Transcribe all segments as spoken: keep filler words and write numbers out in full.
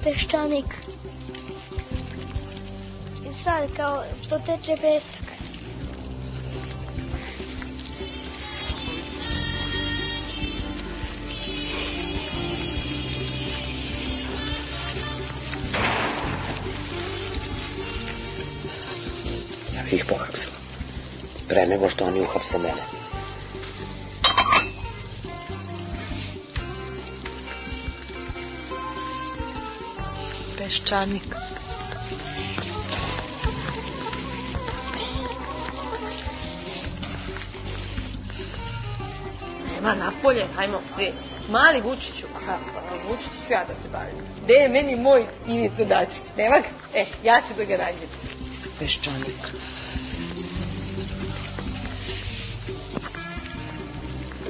peščanik. I sad kao što teče pesak. Ja bih ih pohapsila. Pre nego što oni uhapse mene. Peščanik. Nema napolje, hajmo svi. Mali Vučiću, aha, Vučiću ću ja da se bavim. Gde je meni moj Ivica Dačić? Nema ga? E, ja ću da ga nađem. Peščanik.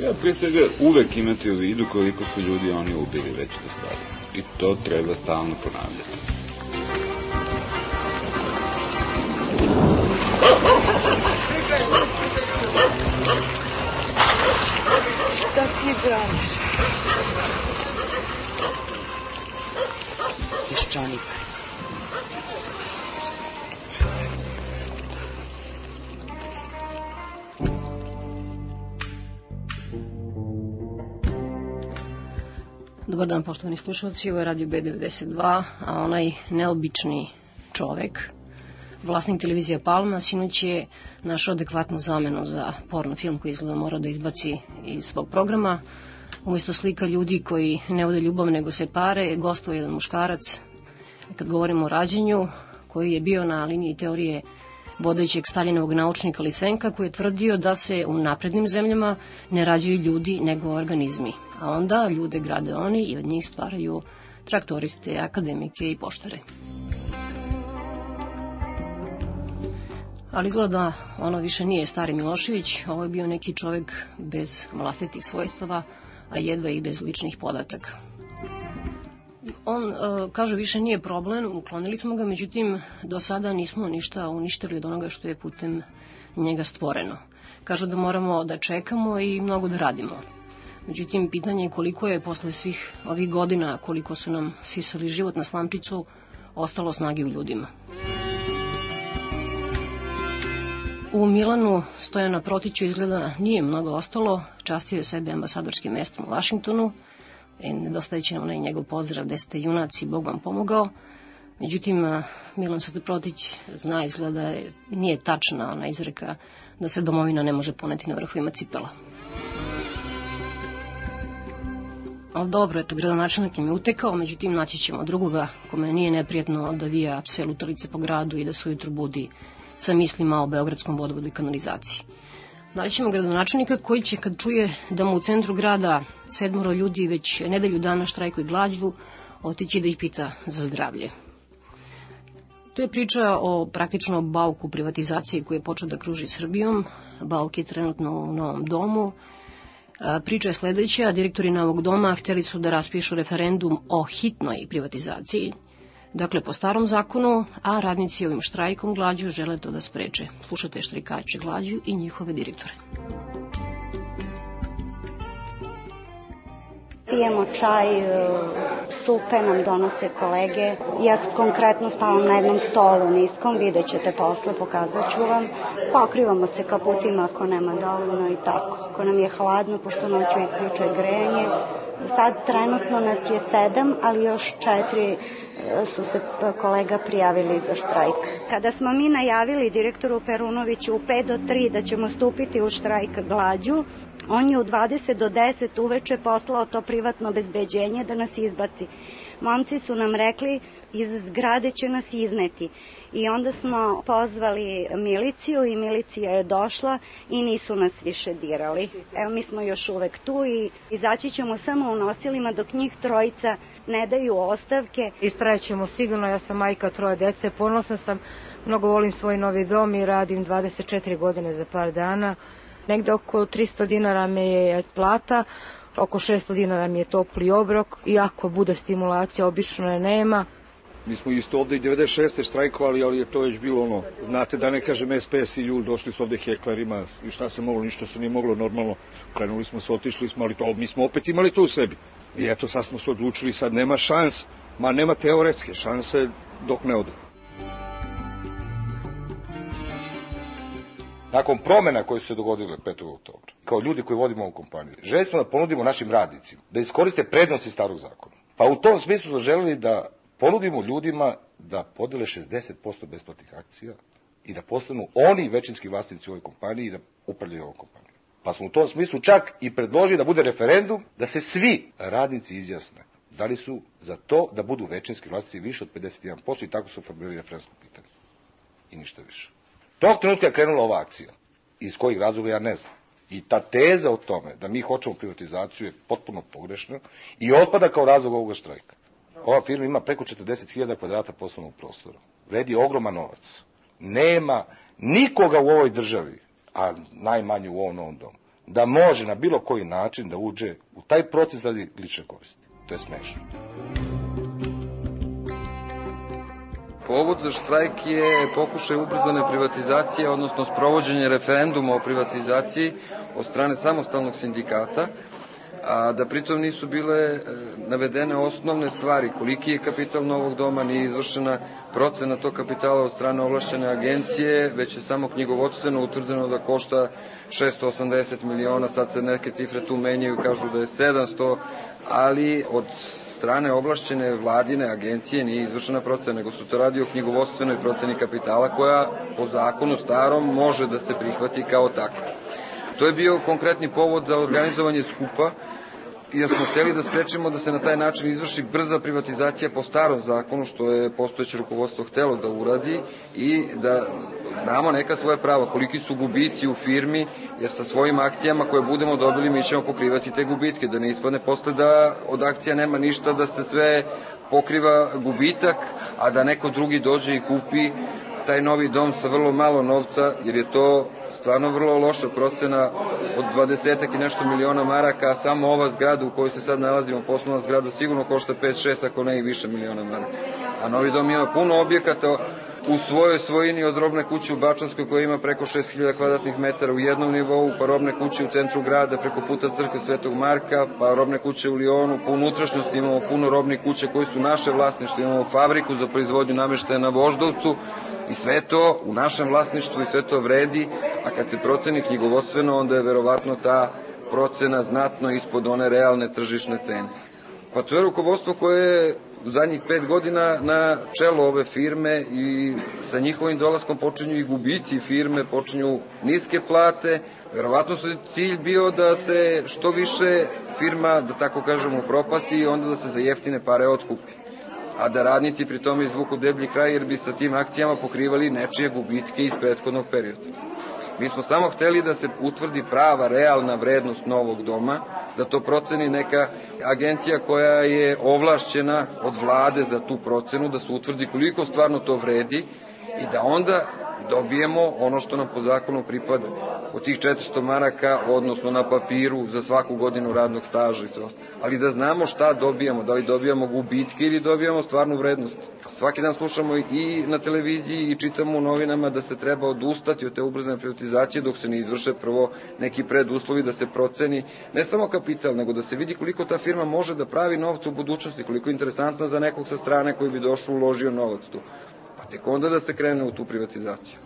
Ja prije svega uvek imati u vidu koliko su ljudi oni ubili već do sada. I to treba stalno ponavljati. Šta ti braniš? Peščanik. Dobar dan, poštovani slušalci, ovo je Radio B devedeset dva, a onaj neobični čovek, vlasnik televizija Palma, sinoć je našao adekvatnu zamenu za porno film koji izgleda mora da izbaci iz svog programa. Umjesto slika ljudi koji ne vode ljubav nego se pare, gostovao jedan muškarac, kad govorimo o rađenju, koji je bio na liniji teorije vodećeg Staljinovog naučnika Lisenka, koji je tvrdio da se u naprednim zemljama ne rađaju ljudi nego organizmi, a onda ljude grade oni i od njih stvaraju traktoriste, akademike i poštare. Ali izgleda ono više nije stari Milošević, ovo je bio neki čovjek bez vlastitih svojstava, a jedva i bez ličnih podataka. On, e, kaže, više nije problem, uklonili smo ga, međutim, do sada nismo ništa uništili od onoga što je putem njega stvoreno. Kažu da moramo da čekamo i mnogo da radimo. Međutim, pitanje je koliko je posle svih ovih godina, koliko su nam sisali život na slamčicu, ostalo snage u ljudima. U Milanu Stojana Protiću izgleda nije mnogo ostalo, častio je sebe ambasadorskim mestom u Vašingtonu, e, nedostajeće nam onaj njegov pozdrav gde ste junaci, Bog vam pomogao. Međutim, Milan Protić zna, izgleda, nije tačna ona izreka da se domovina ne može poneti na vrhovima cipela. Ali dobro, eto, gradonačelnik im je utekao, međutim naći ćemo drugoga kome nije neprijatno da vija pse lutalice po gradu i da se ujutru budi sa mislima o beogradskom vodovodu i kanalizaciji. Naći ćemo gradonačelnika koji će, kad čuje da mu u centru grada sedmoro ljudi već nedelju dana štrajkuju glađu, otići da ih pita za zdravlje. To je priča o praktično bauku privatizacije koji je počeo da kruži Srbijom. Bauk je trenutno u Novom domu. Priča je sledeća, direktori Novog doma hteli su da raspišu referendum o hitnoj privatizaciji, dakle po starom zakonu, a radnici ovim štrajkom glađu žele to da spreče. Slušate štrajkače glađu i njihove direktore. Pijemo čaj, supe nam donose kolege. Ja konkretno spavam na jednom stolu niskom, vidjet ćete posle, pokazat ću vam. Pokrivamo se kaputima ako nema dovoljno i tako. Ako nam je hladno, pošto noću isključuje grejanje. Sad trenutno nas je sedam, ali još četiri su se kolega prijavili za štrajk. Kada smo mi najavili direktoru Perunoviću u pet do tri da ćemo stupiti u štrajk glađu, on je u dvadeset do deset uveče poslao to privatno obezbeđenje da nas izbaci. Momci su nam rekli, iz zgrade će nas izneti. I onda smo pozvali miliciju i milicija je došla i nisu nas više dirali. Evo, mi smo još uvek tu i izaći ćemo samo u nosilima dok njih trojica ne daju ostavke. Istrajećemo sigurno, ja sam majka troje dece, ponosna sam, mnogo volim svoj novi dom i radim dvadeset četiri godine za par dana. Negde oko tristo dinara me je plata, oko šesto dinara mi je topli obrok i ako bude stimulacija, obično je nema. Mi smo isto ovde i devedeset šeste štrajkovali, ali je to već bilo ono, znate da ne kažem S P S i Ljul, došli su ovde heklerima i šta se moglo, ništa se nije moglo normalno. Krenuli smo se, otišli smo, ali to, mi smo opet imali to u sebi. I eto, sad smo se odlučili, sad nema šans Ma nema teoretske šanse dok ne ode. Nakon promjena koje su se dogodile petog oktobra, kao ljudi koji vodimo ovu kompaniju, želi smo da ponudimo našim radnicima da iskoriste prednosti starog zakona. Pa u tom smislu smo želeli da ponudimo ljudima da podele šezdeset posto besplatnih akcija i da postanu oni većinski vlasnici u ovoj kompaniji i da upravljaju ovom kompanijom. Pa smo u tom smislu čak i predložili da bude referendum, da se svi radnici izjasne da li su za to da budu većinski vlasnici više od pedeset jedan posto i tako su formirali referendumsko pitanje. I ništa više. Tog trenutka je krenula ova akcija. Iz kojih razloga ja ne znam. I ta teza o tome da mi hoćemo privatizaciju je potpuno pogrešna i otpada kao razlog ovoga štrajka. Ova firma ima preko četrdeset hiljada kvadrata poslovnog prostora. Vredi ogroman novac. Nema nikoga u ovoj državi, a najmanje u ovom novom domu, da može na bilo koji način da uđe u taj proces radi lične koristi. To je smešno. Povod za štrajk je pokušaj ubrzane privatizacije, odnosno sprovođenje referenduma o privatizaciji od strane samostalnog sindikata, a da pritom nisu bile navedene osnovne stvari, koliki je kapital novog doma, nije izvršena procena tog kapitala od strane ovlašćene agencije, već je samo knjigovodstveno utvrđeno da košta šesto osamdeset miliona, sad se neke cifre tu menjaju, kažu da je sedamsto, ali od strane ovlašćene vladine agencije nije izvršena procena, nego su to radi o knjigovodstvenoj proceni kapitala koja po zakonu starom može da se prihvati kao takva. To je bio konkretni povod za organizovanje skupa jer smo hteli da sprečimo da se na taj način izvrši brza privatizacija po starom zakonu, što je postojeće rukovodstvo htelo da uradi i da znamo neka svoje prava, koliki su gubici u firmi, jer sa svojim akcijama koje budemo dobili mi ćemo pokrivati te gubitke, da ne ispadne posle da od akcija nema ništa, da se sve pokriva gubitak, a da neko drugi dođe i kupi taj novi dom sa vrlo malo novca, jer je to stvarno vrlo loša procena od dvadesetak i nešto miliona maraka, a samo ova zgrada u kojoj se sad nalazimo, poslovna zgrada, sigurno košta pet šest, ako ne i više miliona maraka. A novi dom ima puno objekata u svojoj svojini, od robne kuće u Bačanskoj koja ima preko šest hiljada kvadratnih metara u jednom nivou, pa robne kuće u centru grada preko puta crkve Svetog Marka, pa robne kuće u Lionu, po unutrašnjosti imamo puno robnih kuća koji su naše vlasništvo, imamo fabriku za proizvodnju nameštaja na Voždovcu i sve to u našem vlasništvu i sve to vredi, a kad se proceni knjigovodstveno, onda je verovatno ta procena znatno ispod one realne tržišne cene. Pa to je rukovodstvo koje je u zadnjih pet godina na čelo ove firme i sa njihovim dolaskom počinju i gubici firme, počinju niske plate. Verovatno su cilj bio da se što više firma, da tako kažemo, propasti i onda da se za jeftine pare otkupi. A da radnici pri tome izvuku deblji kraj jer bi sa tim akcijama pokrivali nečije gubitke iz prethodnog perioda. Mi smo samo hteli da se utvrdi prava, realna vrednost novog doma, da to proceni neka agencija koja je ovlašćena od vlade za tu procenu, da se utvrdi koliko stvarno to vredi i da onda dobijemo ono što nam po zakonu pripada. Od tih četiristo maraka, odnosno na papiru za svaku godinu radnog staža i sve. Ali da znamo šta dobijamo, da li dobijamo gubitke ili dobijamo stvarnu vrednost. Svaki dan slušamo i na televiziji i čitamo u novinama da se treba odustati od te ubrzane privatizacije dok se ne izvrše prvo neki preduslovi da se proceni ne samo kapital, nego da se vidi koliko ta firma može da pravi novca u budućnosti, koliko je interesantno za nekog sa strane koji bi došao uložio novac tu. Pa tek onda da se krene u tu privatizaciju.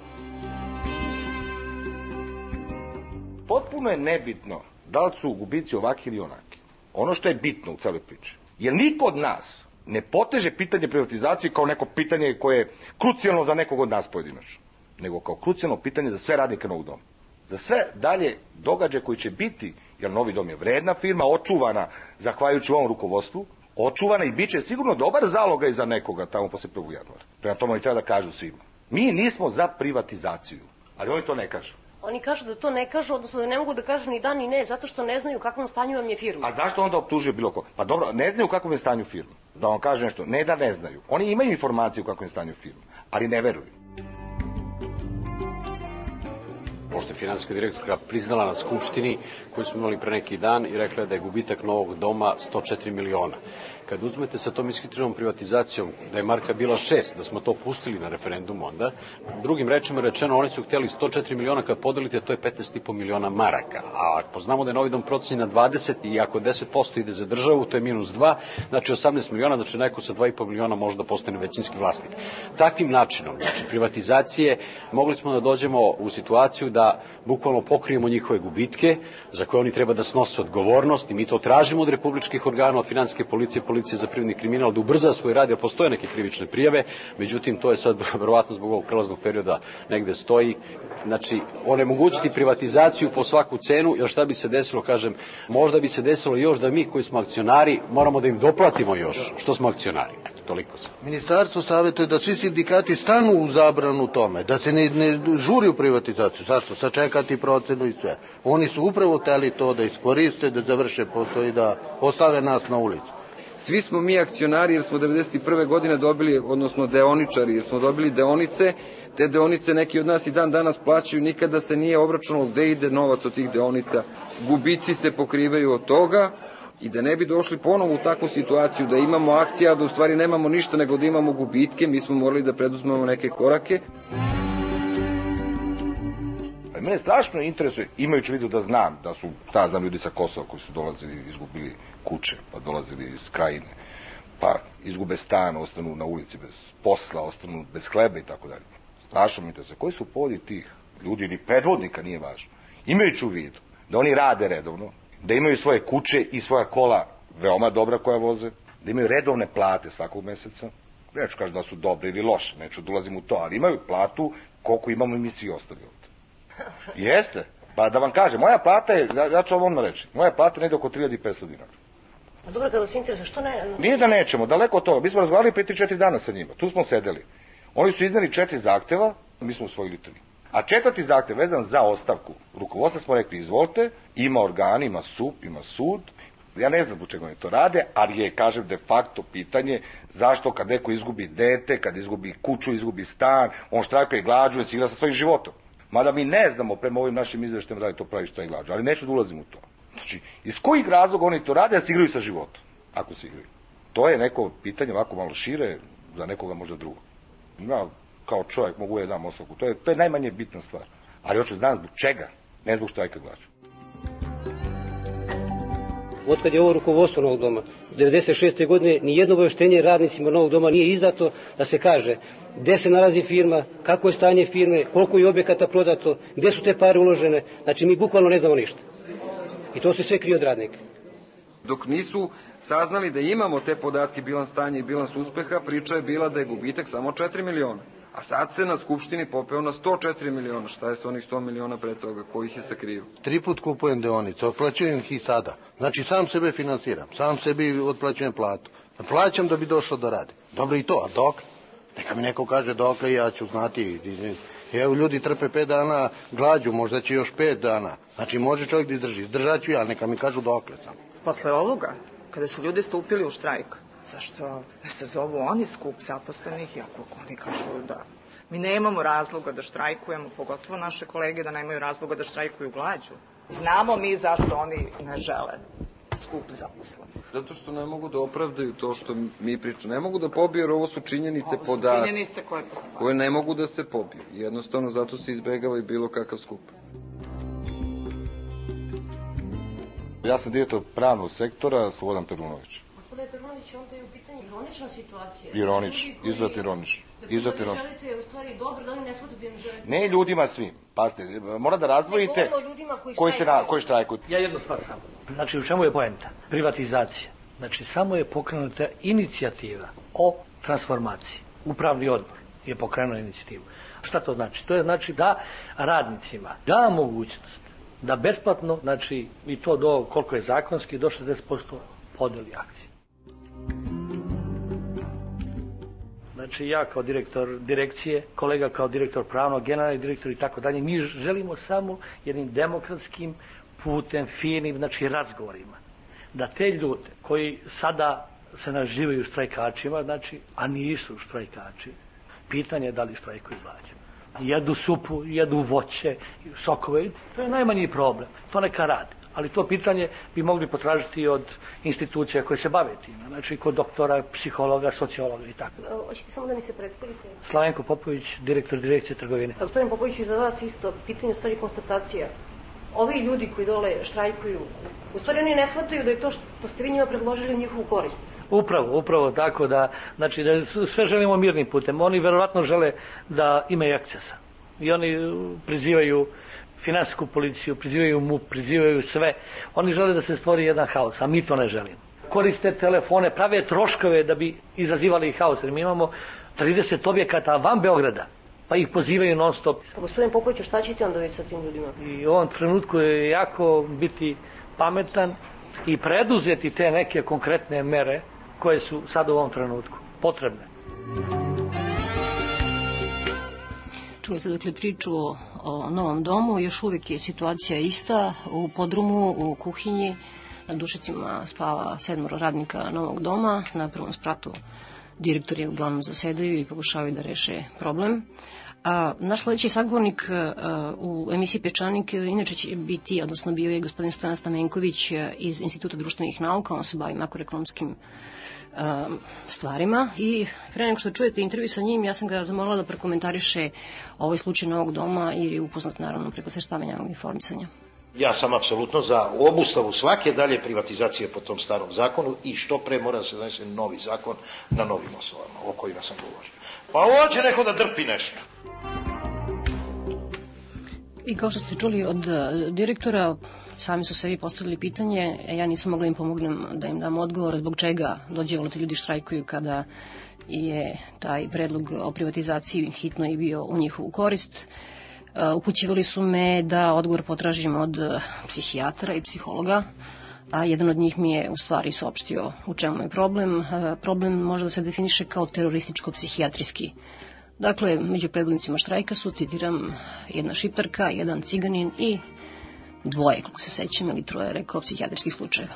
Potpuno je nebitno da li su gubici ovaki ili onaki. Ono što je bitno u celoj priči, jer niko od nas ne poteže pitanje privatizacije kao neko pitanje koje je krucijalno za nekog od nas pojedinačno, nego kao krucijalno pitanje za sve radnike novog doma. Za sve dalje događaje koji će biti, jer novi dom je vredna firma, očuvana zahvaljujući ovom rukovodstvu, očuvana i bit će sigurno dobar zaloga i za nekoga tamo posle prvog januara. Prema tome oni treba da kažu svima. Mi nismo za privatizaciju, ali oni to ne kažu. Oni kažu da to ne kažu, odnosno da ne mogu da kažu ni da ni ne, zato što ne znaju u kakvom stanju vam je firma. A zašto onda optužuje bilo ko? Pa dobro, ne znaju u kakvom je stanju firma. Da vam kaže nešto, ne da ne znaju. Oni imaju informacije u kakvom je stanju firma, ali ne veruju. pošto je finansijska direktorka priznala na skupštini koju smo imali pre neki dan i rekla da je gubitak Novog doma sto četiri miliona. Kad uzmete sa tom ishitrenonom privatizacijom, da je marka bila šest, da smo to pustili na referendumu onda, drugim rečima rečeno, oni su htjeli sto četiri miliona, kad podelite, to je petnaest i po miliona maraka. A ako znamo da je Novi dom procenjen na dvadeset i ako deset posto ide za državu, to je minus dva, znači osamnaest miliona, znači neko sa dva i po miliona može da postane većinski vlasnik. Takvim načinom, znači privatizacije, mogli smo da dođemo u situaciju da bukvalno pokrijemo njihove gubitke, za koje oni treba da snose odgovornost i mi to tražimo od republičkih organa, od finansijske policije, policije za privredni kriminal, da ubrza svoj rad, jer postoje neke krivične prijave, međutim to je sad verovatno zbog ovog prelaznog perioda negde stoji. Znači, onemogućiti privatizaciju po svaku cenu, jer šta bi se desilo, kažem, možda bi se desilo još da mi koji smo akcionari moramo da im doplatimo još, što smo akcionari. Eto, toliko sam. Ministarstvo savjetuje da svi sindikati stanu u zabranu tome, da se ne, ne žuri u privatizaciju. Zašto? Sačekati procenu i sve. Oni su upravo hteli to da iskoriste, da završe posao i da ostave nas na ulicu. Svi smo mi akcionari jer smo devedeset prve godine dobili, odnosno deoničari, jer smo dobili deonice, te deonice neki od nas i dan danas plaćaju, nikada se nije obračunalo gde ide novac od tih deonica. Gubici se pokrivaju od toga i da ne bi došli ponovo u takvu situaciju da imamo akcija, da u stvari nemamo ništa nego da imamo gubitke, mi smo morali da preduzmemo neke korake. Mene strašno interesuje, imajući vidu da znam da su, šta znam, ljudi sa Kosova koji su dolazili, izgubili kuće, pa dolazili iz Krajine, pa izgube stan, ostanu na ulici bez posla, ostanu bez hleba i tako dalje. Strašno mi interesuje, koji su povodi tih ljudi, ni predvodnika, nije važno, imajući u vidu da oni rade redovno, da imaju svoje kuće i svoja kola veoma dobra koja voze, da imaju redovne plate svakog meseca, neću kažem da su dobre ili loše, neću da ulazim u to, ali imaju platu koliko imamo i mi svi ostali ovdje. Jeste, pa da vam kažem, moja plata je, ja ću vam odmah reći, moja plata je negdje oko tri hiljade petsto dinara. A dobro, kada se interesuje, što ne... Nije da nećemo, daleko od toga, mi smo razgovarali pre tri četiri dana sa njima, tu smo sedeli. Oni su izneli četiri zahteva, mi smo usvojili tri. A četvrti zahtev vezan za ostavku rukovodstva smo rekli, izvolite, ima organ, ima S U P, ima sud, ja ne znam zbog čega oni to rade, ali je, kažem, de facto pitanje zašto kad neko izgubi dete, kad izgubi kuću, izgubi stan, on štrajkuje glađu, se igra sa svojim životom. Mada mi ne znamo prema ovim našim izveštajima da li to pravi štrajk glađu, ali neću da ulazim u to. Znači, iz kojih razloga oni to rade, da se igraju sa životom, ako se igraju. To je neko pitanje ovako malo šire, za nekoga možda drugo. Ja, kao čovjek, mogu je dam ostavku. To je, to je najmanje bitna stvar. Ali hoću znam zbog čega, ne zbog štrajka glađu. Otkad je ovo rukovodstvo Novog doma, devedeset šeste godine nijedno obaveštenje radnicima Novog doma nije izdato da se kaže gde se nalazi firma, kako je stanje firme, koliko je objekata prodato, gde su te pare uložene. Znači mi bukvalno ne znamo ništa. I to se sve krije od radnika. Dok nisu saznali da imamo te podatke, bilans stanja i bilans uspeha, priča je bila da je gubitak samo četiri miliona. A sad se na skupštini popeo na sto četiri miliona. Šta je s onih sto miliona pre toga? Ko ih je sakrio? Tri put kupujem deonice, otplaćujem ih i sada. Znači sam sebe financiram, sam sebi otplaćujem platu. Plaćam da bi došao da radi. Dobro i to, a dok? Neka mi neko kaže dokle, ja ću znati. Evo, ljudi trpe pet dana glađu, možda će još pet dana. Znači može čovjek da izdrži. Izdržat ću ja, neka mi kažu dokle samo. Posle ovoga, kada su ljudi stupili u štrajk, zašto se zovu oni skup zaposlenih, iako oni kažu da mi nemamo razloga da štrajkujemo, pogotovo naše kolege da nemaju razloga da štrajkuju glađu. Znamo mi zašto oni ne žele skup zaposlenih. Zato što ne mogu da opravdaju to što mi pričamo. Ne mogu da pobiju, jer ovo su činjenice, ovo su podaci. Činjenice koje postoje. Koje ne mogu da se pobiju. Jednostavno zato se izbegava i bilo kakav skup. Ja sam direktor pravnog sektora, Slobodan Perunović. Gospodine Perunović, onda je u pitanju ironična situacija. Ironična, izuzetno ironična. Dakle, da želite je u stvari dobro, da oni ne shvate da im želite. Ne ljudima svim, pazite, mora da razdvojite ne govorimo o ljudima koji, koji, se na, koji štrajkuju. Ja jednu stvar samo. Znači, u čemu je poenta? Privatizacija. Znači, samo je pokrenuta inicijativa o transformaciji. Upravni odbor je pokrenuo inicijativu. Šta to znači? To je znači da radnicima da mogućnost da besplatno, znači i to do koliko je zakonski, do šezdeset posto podeli akcije. Znači ja kao direktor direkcije, kolega kao direktor pravnog, generalni direktor i tako dalje, mi želimo samo jednim demokratskim putem, finim, znači razgovorima, da te ljude koji sada se nazivaju štrajkačima, znači, a nisu štrajkači, pitanje je da li štrajkuju glađu. jedu supu, jedu voće, sokove, to je najmanji problem, to neka radi. Ali to pitanje bi mogli potražiti od institucija koje se bave time, znači kod doktora, psihologa, sociologa i tako. Hoćete samo da mi se predstavite? Slavenko Popović, direktor direkcije trgovine. Gospodin Popović, i za vas isto pitanje, stvari konstatacija. Ovi ljudi koji dole štrajkuju, u stvari oni ne shvataju da je to što ste vi njima predložili njihovu korist. Upravo, upravo tako da, znači da sve želimo mirnim putem. Oni verovatno žele da imaju ekscesa. I oni prizivaju finansijsku policiju, prizivaju M U P, prizivaju sve. Oni žele da se stvori jedan haos, a mi to ne želimo. Koriste telefone, prave troškove da bi izazivali haos. Jer mi imamo trideset objekata van Beograda, pa ih pozivaju non stop. Gospodin Popović, šta ćete onda vi sa tim ljudima? I u ovom trenutku je jako biti pametan i preduzeti te neke konkretne mere koje su sad u ovom trenutku potrebne. Čuli ste dakle priču o, o novom domu, još uvijek je situacija ista. U podrumu, u kuhinji, na dušicima spava sedmoro radnika novog doma, na prvom spratu direktori uglavnom zasedaju i pokušavaju da reše problem. A naš sledeći sagovornik a, u emisiji Pečanik inače će biti, odnosno bio je gospodin Stojan Stamenković iz Instituta društvenih nauka, on se bavi makroekonomskim a, stvarima i pre nego što čujete intervju sa njim, ja sam ga zamolila da prekomentariše ovaj slučaj novog doma jer je upoznat naravno preko sredstava javnog informisanja. Ja sam apsolutno za obustavu svake dalje privatizacije po tom starom zakonu i što pre mora da se donese novi zakon na novim osnovama o kojima sam govorio. Pa hoće neko da drpi nešto. I kao što ste čuli od direktora, sami su sebi postavili pitanje, ja nisam mogla im pomognem da im dam odgovor zbog čega dođe volite ljudi štrajkuju kada je taj predlog o privatizaciji hitno i bio u njihovu korist. Upućivali su me da odgovor potražim od psihijatra i psihologa, a jedan od njih mi je u stvari saopštio u čemu je problem. Problem može da se definiše kao terorističko-psihijatrijski. Dakle, među predvodnicima štrajka su, citiram, jedna šiptarka, jedan ciganin i dvoje, kako se sećam, ili troje, rekao, psihijatrijskih slučajeva.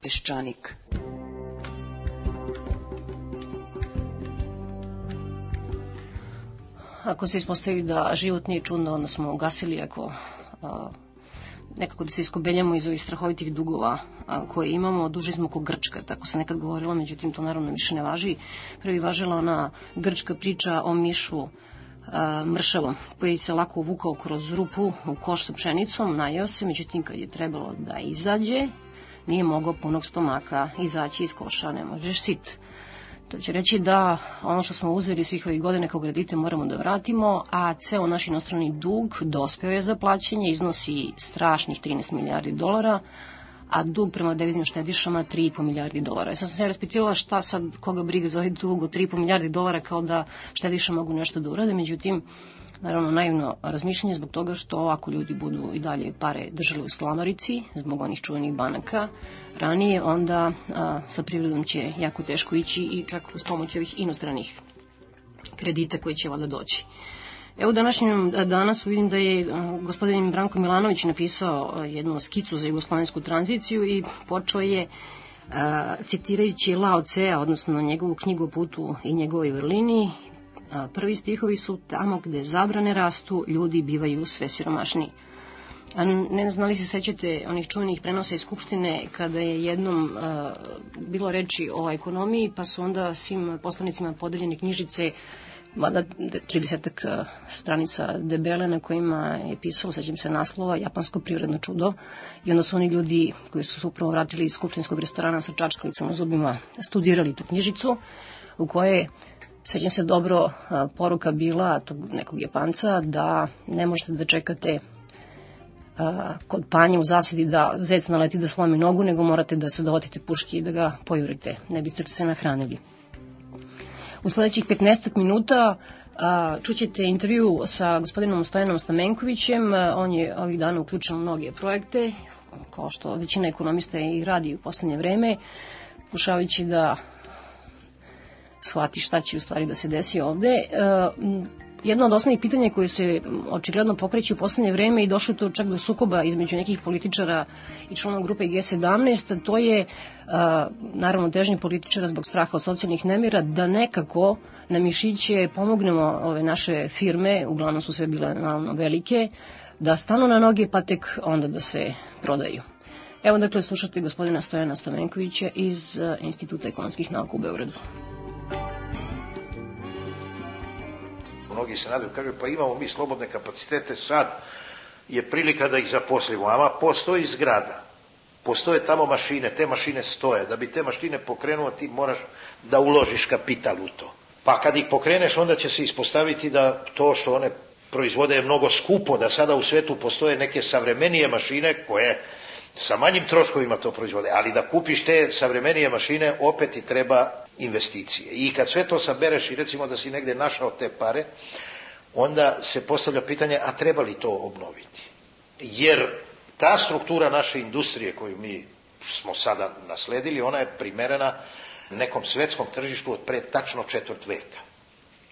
Peščanik. Ako se ispostavi da život nije čudno, onda smo ugasili, ako a, nekako da se iskobeljamo iz ovih strahovitih dugova a, koje imamo, duži smo ko Grčka, tako se nekad govorilo, međutim to naravno više ne važi. Prvi važila ona grčka priča o mišu a, mršavom, koji se lako uvukao kroz rupu u koš sa pšenicom, najeo se, međutim kad je trebalo da izađe, nije mogao punog stomaka izaći iz koša, ne možeš sit. To će reći da ono što smo uzeli svih ovih godina kao kredite moramo da vratimo, a ceo naš inostrani dug dospeo je za plaćanje, iznosi strašnih trinaest milijardi dolara, a dug prema deviznim štedišama tri i po milijardi dolara. Ja sam se raspitivala šta sad, koga briga za ovaj dug od tri i po milijardi dolara, kao da štediša mogu nešto da urade, međutim, naravno naivno razmišljanje zbog toga što ako ljudi budu i dalje pare držali u slamarici, zbog onih čuvenih banaka ranije, onda a, sa privredom će jako teško ići i čak uz pomoć ovih inostranih kredita koji će valjda doći. Evo današnjem danas vidim da je gospodin Branko Milanović napisao jednu skicu za jugoslovensku tranziciju i počeo je a, citirajući Lao Cea, odnosno njegovu knjigu o putu i njegovoj vrlini. Prvi stihovi su: tamo gde zabrane rastu, ljudi bivaju sve siromašniji. A ne znam li se sećate onih čuvenih prenosa iz Skupštine kada je jednom uh, bilo reči o ekonomiji, pa su onda svim poslanicima podeljene knjižice, mada tridesetak stranica debele, na kojima je pisalo, sećam se naslova, Japansko privredno čudo, i onda su oni ljudi koji su se upravo vratili iz skupštinskog restorana sa čačkalicama zubima studirali tu knjižicu, u kojoj, sećam se dobro, poruka bila tog nekog Japanca da ne možete da čekate a, kod panje u zasedi da zec naleti da slomi nogu, nego morate da se dovatite puški i da ga pojurite, ne biste se nahranili. U sledećih petnaestak minuta a, čućete intervju sa gospodinom Stojanom Stamenkovićem. On je ovih dana uključen u mnoge projekte, kao što većina ekonomista i radi u poslednje vreme, pokušavajući da shvati šta će u stvari da se desi ovde. E, jedno od osnovnih pitanja koje se očigledno pokreće u poslednje vreme i došlo to čak do sukoba između nekih političara i članova grupe G sedamnaest, to je a, naravno težnje političara zbog straha od socijalnih nemira da nekako na mišiće pomognemo ove naše firme, uglavnom su sve bile naravno velike, da stanu na noge pa tek onda da se prodaju. Evo dakle slušate gospodina Stojana Stamenkovića iz Instituta ekonomskih nauka u Beogradu. Mnogi se nadaju, kažu, pa imamo mi slobodne kapacitete, sad je prilika da ih zaposlimo, ama postoji zgrada, postoje tamo mašine, te mašine stoje, da bi te mašine pokrenuo ti moraš da uložiš kapital u to. Pa kad ih pokreneš, onda će se ispostaviti da to što one proizvode je mnogo skupo, da sada u svetu postoje neke savremenije mašine koje sa manjim troškovima to proizvode, ali da kupiš te savremenije mašine opet ti treba investicije. I kad sve to sabereš i recimo da si negde našao te pare, onda se postavlja pitanje, a treba li to obnoviti? Jer ta struktura naše industrije koju mi smo sada nasledili, ona je primerena nekom svetskom tržištu od pre tačno četvrt veka.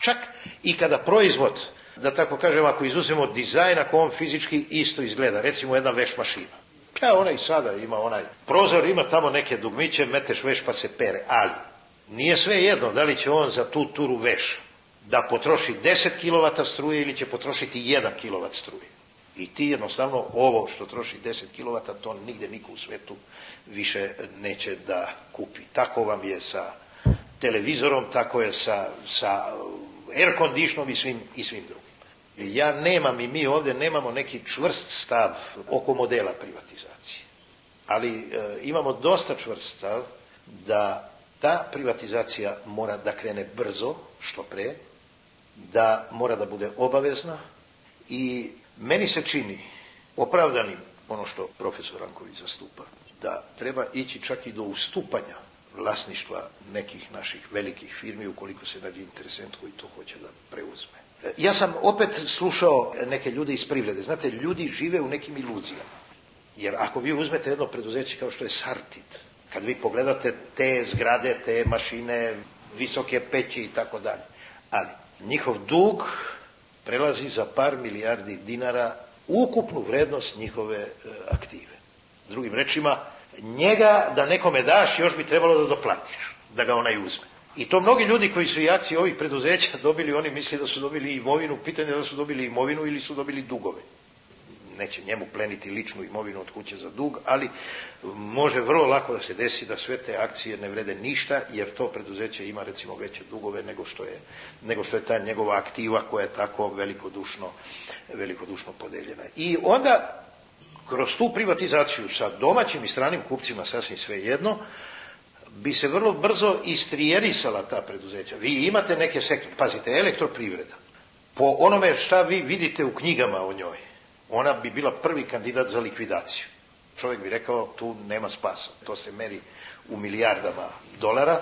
Čak i kada proizvod, da tako kažem, ako izuzemo dizajn, ako on fizički isto izgleda, recimo jedna veš mašina. Ja, ona i sada ima onaj prozor, ima tamo neke dugmiće, meteš veš pa se pere, ali nije sve jedno da li će on za tu turu veš da potroši deset kilovata struje ili će potrošiti jedan kilovat struje. I ti jednostavno ovo što troši deset kilovata, to nigde niko u svetu više neće da kupi. Tako vam je sa televizorom, tako je sa, sa air conditionom i svim, i svim drugim. Ja nemam i mi ovdje nemamo neki čvrst stav oko modela privatizacije. Ali e, imamo dosta čvrst stav da ta privatizacija mora da krene brzo, što pre, da mora da bude obavezna i meni se čini opravdanim ono što profesor Ranković zastupa, da treba ići čak i do ustupanja vlasništva nekih naših velikih firmi ukoliko se nađe interesent koji to hoće da preuzme. Ja sam opet slušao neke ljude iz privrede. Znate, ljudi žive u nekim iluzijama. Jer ako vi uzmete jedno preduzeće kao što je Sartid, kad vi pogledate te zgrade, te mašine, visoke peći i tako dalje, ali njihov dug prelazi za par milijardi dinara ukupnu vrednost njihove aktive. Drugim rečima, njega da nekome daš još bi trebalo da doplatiš, da ga onaj uzme. I to mnogi ljudi koji su i akcije ovih preduzeća dobili, oni misle da su dobili imovinu, pitanje je da su dobili imovinu ili su dobili dugove. Neće njemu pleniti ličnu imovinu od kuće za dug, ali može vrlo lako da se desi da sve te akcije ne vrede ništa, jer to preduzeće ima recimo veće dugove nego što je, nego što je ta njegova aktiva koja je tako velikodušno, velikodušno podeljena. I onda kroz tu privatizaciju sa domaćim i stranim kupcima sasvim svejedno, bi se vrlo brzo istrijerisala ta preduzeća. Vi imate neke sektore, pazite, elektroprivreda, po onome šta vi vidite u knjigama o njoj, ona bi bila prvi kandidat za likvidaciju. Čovjek bi rekao, tu nema spasa. To se meri u milijardama dolara,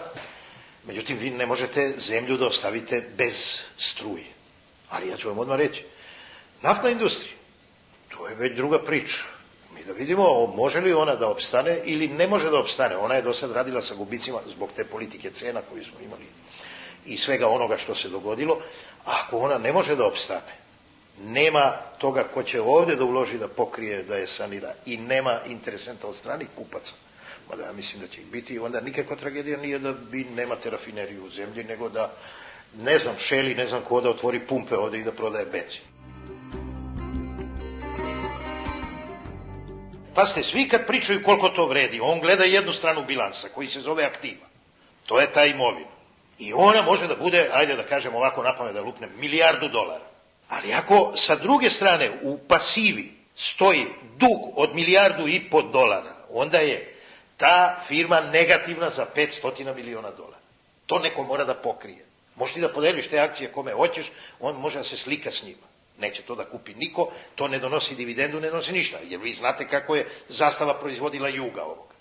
međutim vi ne možete zemlju da ostavite bez struje. Ali ja ću vam odmah reći, naftna industrija, to je već druga priča. Mi da vidimo može li ona da opstane ili ne može da opstane. Ona je do sad radila sa gubicima zbog te politike cena koju smo imali i svega onoga što se dogodilo. Ako ona ne može da opstane, nema toga ko će ovdje da uloži da pokrije, da je sanira i nema interesenta od stranih kupaca. Mada ja mislim da će ih biti, onda nikakva tragedija nije da vi nemate rafineriju u zemlji, nego da, ne znam, Šeli, ne znam ko da otvori pumpe ovdje i da prodaje benzin. Pazite, svi kad pričaju koliko to vredi, on gleda jednu stranu bilansa koji se zove aktiva. To je ta imovina. I ona može da bude, ajde da kažem ovako napamet da lupnem, milijardu dolara. Ali ako sa druge strane u pasivi stoji dug od milijardu i po dolara, onda je ta firma negativna za petsto miliona dolara. To neko mora da pokrije. Možeš ti da podeliš te akcije kome hoćeš, on može da se slika s njima. Neće to da kupi niko, to ne donosi dividendu, ne donosi ništa. Jer vi znate kako je Zastava proizvodila Juga ovoga.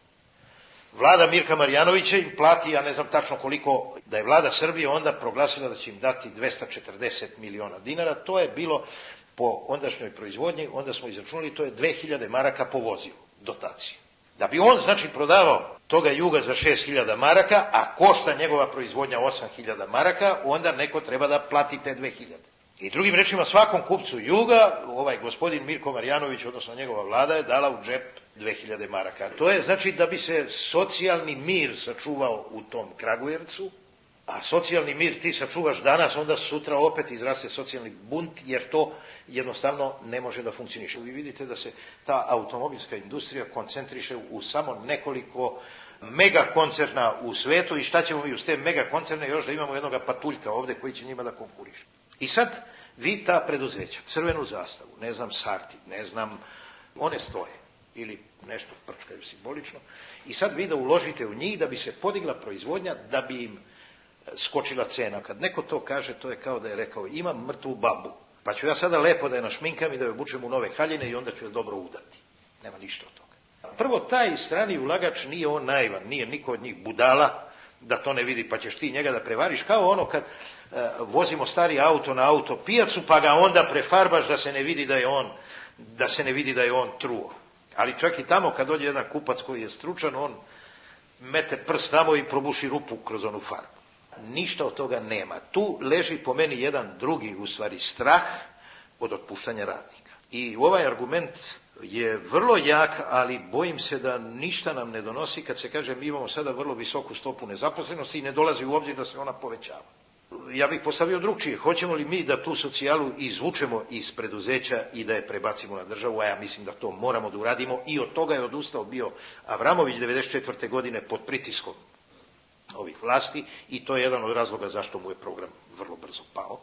Vlada Mirka Marjanovića im plati, ja ne znam tačno koliko, da je vlada Srbije onda proglasila da će im dati dvesta četrdeset miliona dinara. To je bilo po ondašnjoj proizvodnji, onda smo izračunali, to je dve hiljade maraka po vozilu, dotacije. Da bi on, znači, prodavao toga Juga za šest hiljada maraka, a košta njegova proizvodnja osam hiljada maraka, onda neko treba da plati te dve hiljade. I drugim rečima, svakom kupcu Juga, ovaj gospodin Mirko Marjanović, odnosno njegova vlada, je dala u džep dve hiljade maraka. To je znači da bi se socijalni mir sačuvao u tom Kragujevcu, a socijalni mir ti sačuvaš danas, onda sutra opet izraste socijalni bunt, jer to jednostavno ne može da funkcioniše. Vi vidite da se ta automobilska industrija koncentriše u samo nekoliko mega koncerna u svetu i šta ćemo mi uz te mega koncerne još da imamo jednog patuljka ovdje koji će njima da konkuriše. I sad vi ta preduzeća, Crvenu zastavu, ne znam Sarti, ne znam, one stoje ili nešto prčkaju simbolično i sad vi da uložite u njih da bi se podigla proizvodnja, da bi im skočila cena. Kad neko to kaže, to je kao da je rekao imam mrtvu babu, pa ću ja sada lepo da je našminkam i da je obučem u nove haljine i onda ću je dobro udati. Nema ništa od toga. Prvo, taj strani ulagač nije on naivan, nije niko od njih budala da to ne vidi, pa ćeš ti njega da prevariš, kao ono kad e, vozimo stari auto na auto pijacu, pa ga onda prefarbaš da se ne vidi da je on, da se ne vidi da je on truo. Ali čak i tamo kad dođe jedan kupac koji je stručan, on mete prst tamo i probuši rupu kroz onu farbu. Ništa od toga nema. Tu leži po meni jedan drugi, u stvari, strah od otpuštanja radnika. I ovaj argument je vrlo jak, ali bojim se da ništa nam ne donosi kad se kaže mi imamo sada vrlo visoku stopu nezaposlenosti i ne dolazi u obzir da se ona povećava. Ja bih postavio drugčije. Hoćemo li mi da tu socijalu izvučemo iz preduzeća i da je prebacimo na državu, a ja mislim da to moramo da uradimo i od toga je odustao bio Avramović devedeset četvrte godine pod pritiskom ovih vlasti i to je jedan od razloga zašto mu je program vrlo brzo pao.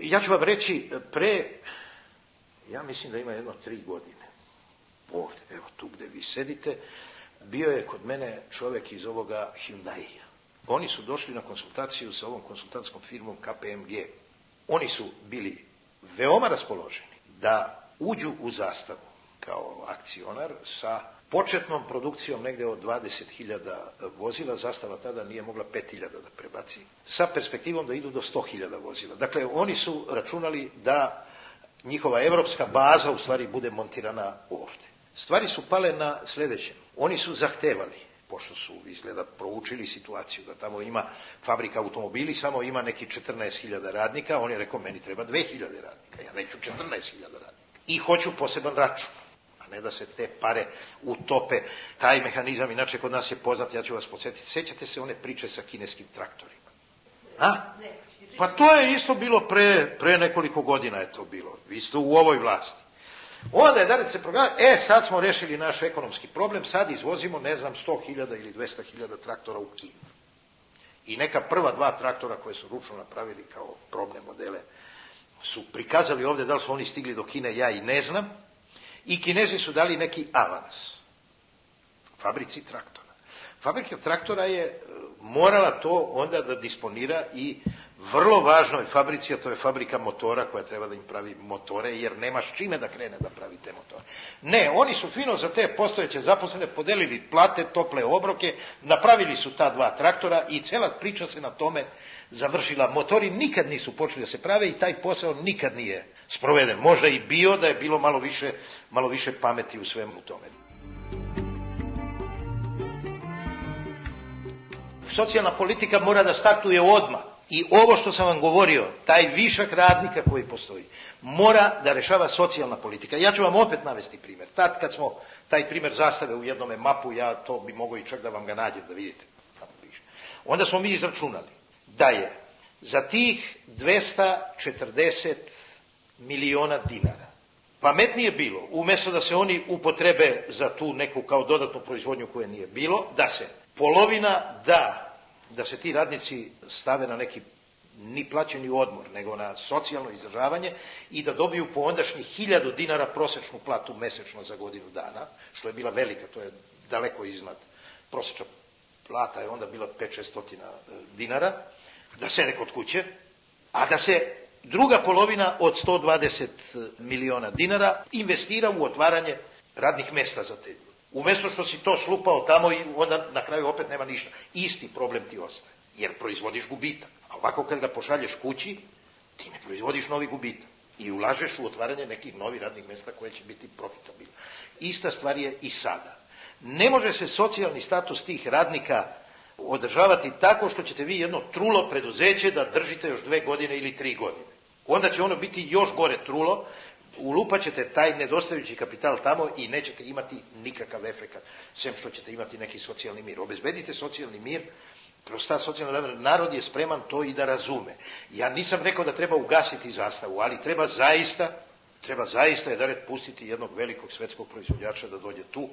Ja ću vam reći, pre, ja mislim da ima jedno tri godine, ovdje, evo tu gdje vi sedite, bio je kod mene čovjek iz ovoga Hyundai-a. Oni su došli na konsultaciju sa ovom konsultantskom firmom K P M G. Oni su bili veoma raspoloženi da uđu u Zastavu kao akcionar sa početnom produkcijom negdje od dvadeset hiljada vozila. Zastava tada nije mogla pet hiljada da prebaci, sa perspektivom da idu do sto hiljada vozila. Dakle, oni su računali da njihova evropska baza u stvari bude montirana ovdje. Stvari su pale na sljedećem. Oni su zahtevali, pošto su izgleda proučili situaciju, da tamo ima fabrika automobili, samo ima neki četrnaest hiljada radnika, on je rekao meni treba dve hiljade radnika, ja neću četrnaest hiljada radnika. I hoću poseban račun, a ne da se te pare utope. Taj mehanizam inače kod nas je poznat, ja ću vas podsjetiti. Sjećate se one priče sa kineskim traktorima? A? Pa to je isto bilo pre, pre nekoliko godina je to bilo, isto u ovoj vlasti. Onda je da se program, e sad smo rešili naš ekonomski problem, sad izvozimo ne znam sto hiljada ili dvesta hiljada traktora u Kinu. I neka prva dva traktora koje su ručno napravili kao probne modele su prikazali ovdje, da li su oni stigli do Kine, ja i ne znam. I Kinezi su dali neki avans fabrici traktora. Fabrika traktora je morala to onda da disponira i vrlo važnoj fabrici, a to je fabrika motora koja treba da im pravi motore, jer nemaš čime da krene da pravi te motore. Ne, oni su fino za te postojeće zaposlene podelili plate, tople obroke, napravili su ta dva traktora i cela priča se na tome završila. Motori nikad nisu počeli da se prave i taj posao nikad nije sproveden. Možda i bio da je bilo malo više, malo više pameti u svemu tome. Socijalna politika mora da startuje odmah. I ovo što sam vam govorio, taj višak radnika koji postoji, mora da rešava socijalna politika. Ja ću vam opet navesti primjer. Tad kad smo taj primjer zastave u jednome mapu, ja to bi mogao i čak da vam ga nađem, da vidite. Onda smo mi izračunali da je za tih dvesta četrdeset miliona dinara pametnije bilo, umjesto da se oni upotrebe za tu neku kao dodatnu proizvodnju koje nije bilo, da se polovina da da se ti radnici stave na neki ni plaćeni odmor, nego na socijalno izdržavanje i da dobiju po ondašnjih hiljadu dinara prosječnu platu mesečno za godinu dana, što je bila velika, to je daleko iznad prosječna plata, je onda bila pet šest stotina dinara, da sede kod kuće, a da se druga polovina od sto dvadeset miliona dinara investira u otvaranje radnih mjesta za te ljudi. Umjesto što si to slupao tamo i onda na kraju opet nema ništa. Isti problem ti ostaje, jer proizvodiš gubitak. A ovako kad ga pošalješ kući, ti ne proizvodiš novi gubitak. I ulažeš u otvaranje nekih novih radnih mjesta koje će biti profitabilne. Ista stvar je i sada. Ne može se socijalni status tih radnika održavati tako što ćete vi jedno trulo preduzeće da držite još dve godine ili tri godine. Onda će ono biti još gore trulo, ulupat ćete taj nedostajući kapital tamo i nećete imati nikakav efekat, sem što ćete imati neki socijalni mir. Obezbedite socijalni mir, kroz ta socijalna narod je spreman to i da razume. Ja nisam rekao da treba ugasiti zastavu, ali treba zaista, treba zaista je da red pustiti jednog velikog svetskog proizvođača da dođe tu,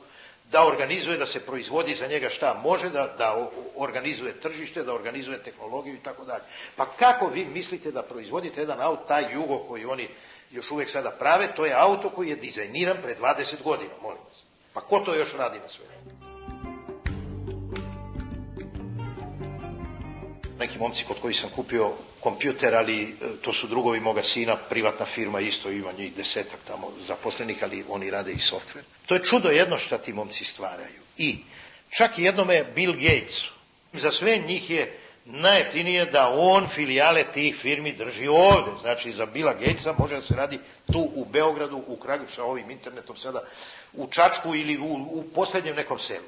da organizuje, da se proizvodi za njega šta može, da, da organizuje tržište, da organizuje tehnologiju i tako dalje. Pa kako vi mislite da proizvodite jedan auto, taj Jugo koji oni još uvijek sada prave, to je auto koji je dizajniran pre dvadeset godina, molim vas. Pa ko to još radi na svetu? Neki momci kod koji sam kupio kompjuter, ali to su drugovi moga sina, privatna firma, isto ima njih desetak tamo zaposlenih, ali oni rade i softver. To je čudo jedno što ti momci stvaraju. I čak i jednome Bill Gatesu, za sve njih je najjeftinije da on filijale tih firmi drži ovdje. Znači za Billa Gatesa može da se radi tu u Beogradu, u Kragujevcu, sa ovim internetom sada, u Čačku ili u, u posljednjem nekom selu.